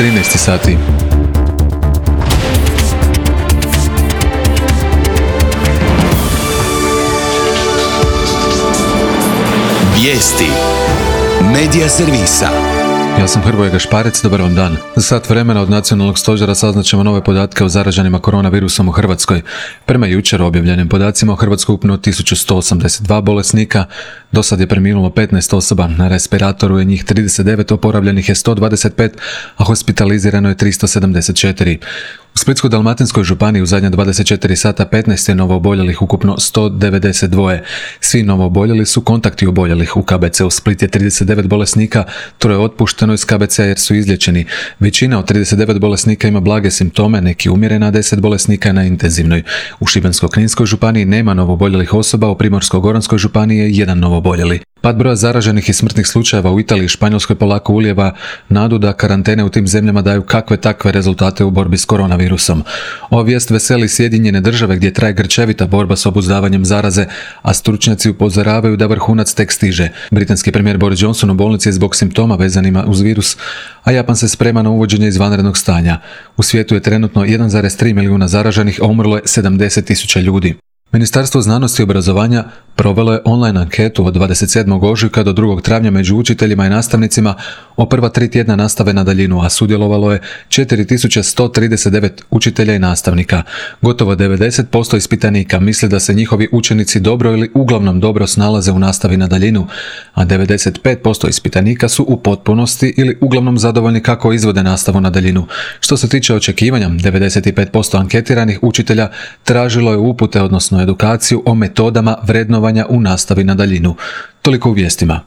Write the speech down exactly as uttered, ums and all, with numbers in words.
trinaest sati. Vijesti Medija servisa. Ja sam Hrvoje Gašparec, dobar vam dan. Za sat vremena od nacionalnog stožera saznaćemo nove podatke o zaraženima koronavirusom u Hrvatskoj. Prema jučer objavljenim podacima u Hrvatskoj ukupno tisuću sto osamdeset dva bolesnika, do sad je preminulo petnaest osoba, na respiratoru je njih trideset devet, oporavljenih je sto dvadeset pet, a hospitalizirano je tristo sedamdeset četiri. U Splitsko-dalmatinskoj županiji u zadnja dvadeset četiri sata petnaest je novooboljelih, ukupno sto devedeset dva. Svi novooboljeli su kontakti oboljelih. U K B C u Split je trideset devet bolesnika, troje je otpušteno iz K B C jer su izliječeni. Većina od trideset devet bolesnika ima blage simptome, neki umjerena, a deset bolesnika je na intenzivnoj. U Šibensko-kninskoj županiji nema novooboljelih osoba, u Primorsko-goranskoj županiji je jedan novoboljeli. Pad broja zaraženih i smrtnih slučajeva u Italiji i Španjolskoj polako ulijeva nadu da karantene u tim zemljama daju kakve takve rezultate u borbi s koronavirusom. Ova vijest veseli Sjedinjene Države gdje traje grčevita borba s obuzdavanjem zaraze, a stručnjaci upozoravaju da vrhunac tek stiže. Britanski premijer Boris Johnson u bolnici je zbog simptoma vezanima uz virus, a Japan se sprema na uvođenje izvanrednog stanja. U svijetu je trenutno jedan zarez tri milijuna zaraženih, a umrlo je sedamdeset tisuća ljudi. Ministarstvo znanosti i obrazovanja provelo je online anketu od dvadeset sedmog ožujka do drugog travnja među učiteljima i nastavnicima o prva tri tjedna nastave na daljinu, a sudjelovalo je četiri tisuće sto trideset devet učitelja i nastavnika. Gotovo devedeset posto ispitanika misli da se njihovi učenici dobro ili uglavnom dobro snalaze u nastavi na daljinu, a devedeset pet posto ispitanika su u potpunosti ili uglavnom zadovoljni kako izvode nastavu na daljinu. Što se tiče očekivanja, devedeset pet posto anketiranih učitelja tražilo je upute, odnosno edukaciju o metodama vrednovanja u nastavi na daljinu. Toliko u vijestima.